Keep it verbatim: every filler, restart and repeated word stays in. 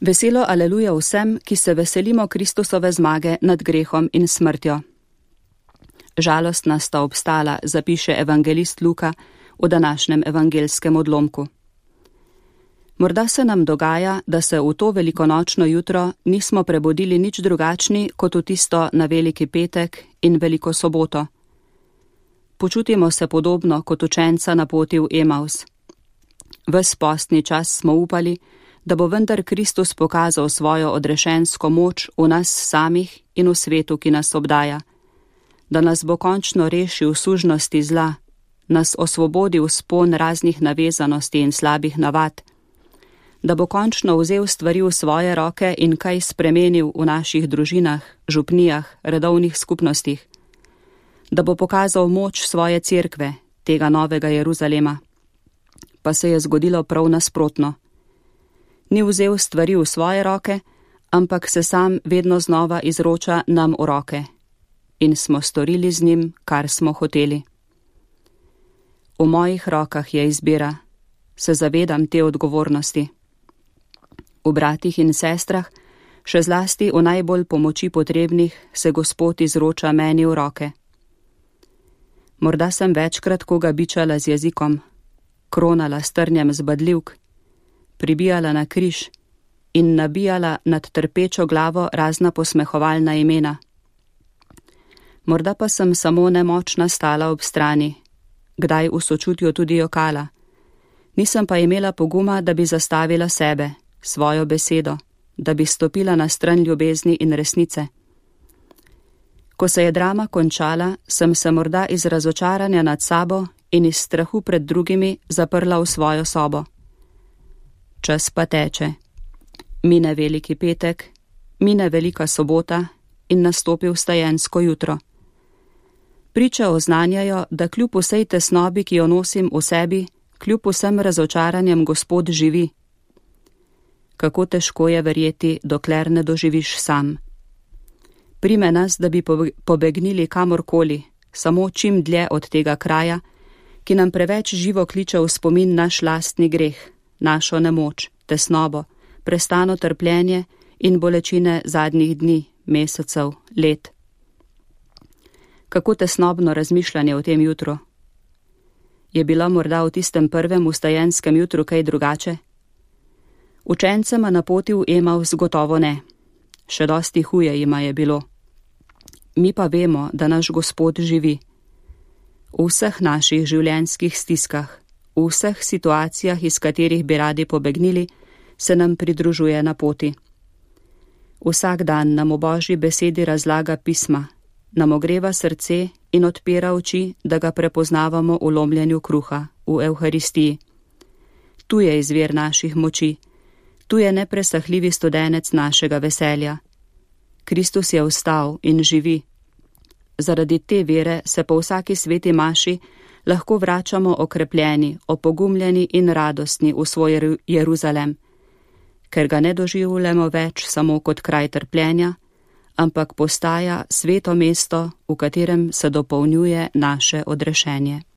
Veselo aleluja vsem, ki se veselimo Kristusove zmage nad grehom in smrtjo. Žalostna sta obstala, zapiše evangelist Luka v današnjem evangelskem odlomku. Morda se nam dogaja, da se v to velikonočno jutro nismo prebudili nič drugačni kot v tisto na Veliki petek in Veliko soboto. Počutimo se podobno kot učenca na poti v Emaus. Ves postni čas smo upali, da bo vendar Kristus pokazal svojo odrešensko moč v nas samih in v svetu, ki nas obdaja, da nas bo končno rešil sužnosti zla, nas osvobodil spon raznih navezanosti in slabih navad, da bo končno vzel stvari v svoje roke in kaj spremenil v naših družinah, župnijah, redovnih skupnostih, da bo pokazal moč svoje cerkve, tega novega Jeruzalema. Pa se je zgodilo prav nasprotno. Ni vzel stvari v svoje roke, ampak se sam vedno znova izroča nam v roke. In smo storili z njim, kar smo hoteli. V mojih rokah je izbira, se zavedam te odgovornosti. V bratih in sestrah, še zlasti v najbolj pomoči potrebnih, se Gospod izroča meni v roke. Morda sem večkrat koga bičala z jezikom, kronala s trnjem zbadljivk, pribijala na križ in nabijala nad trpečo glavo razna posmehovalna imena. Morda pa sem samo nemočna stala ob strani, kdaj v sočutju tudi jokala. Nisem pa imela poguma, da bi zastavila sebe, svojo besedo, da bi stopila na stran ljubezni in resnice. Ko se je drama končala, sem se morda iz razočaranja nad sabo in iz strahu pred drugimi zaprla v svojo sobo. Čas pa teče. Mine Veliki petek, mine Velika sobota in nastopi vstajensko jutro. Priče oznanjajo, da kljub vsej tesnobi, ki jo nosim v sebi, kljub vsem razočaranjem Gospod živi. Kako težko je verjeti, dokler ne doživiš sam. Prime nas, da bi pobegnili kamorkoli, samo čim dlje od tega kraja, ki nam preveč živo kliče v spomin naš lastni greh, našo nemoč, tesnobo, prestano trpljenje in bolečine zadnjih dni, mesecev, let. Kako tesnobno razmišljanje o tem jutru. Je bilo morda v tistem prvem vstajenskem jutru kaj drugače? Učencema na poti v Emaus gotovo ne. Še dosti huje jima je bilo. Mi pa vemo, da naš Gospod živi. V vseh naših življenjskih stiskah, v vseh situacijah, iz katerih bi radi pobegnili, se nam pridružuje na poti. Vsak dan nam v Božji besedi razlaga pisma, nam ogreva srce in odpira oči, da ga prepoznavamo v lomljenju kruha, v Evharistiji. Tu je izvir naših moči, tu je nepresahljivi studenec našega veselja. Kristus je vstal in živi. Zaradi te vere se po vsaki sveti maši lahko vračamo okrepljeni, opogumljeni in radostni v svoj Jeruzalem, ker ga ne doživljamo več samo kot kraj trpljenja, ampak postaja sveto mesto, v katerem se dopolnjuje naše odrešenje.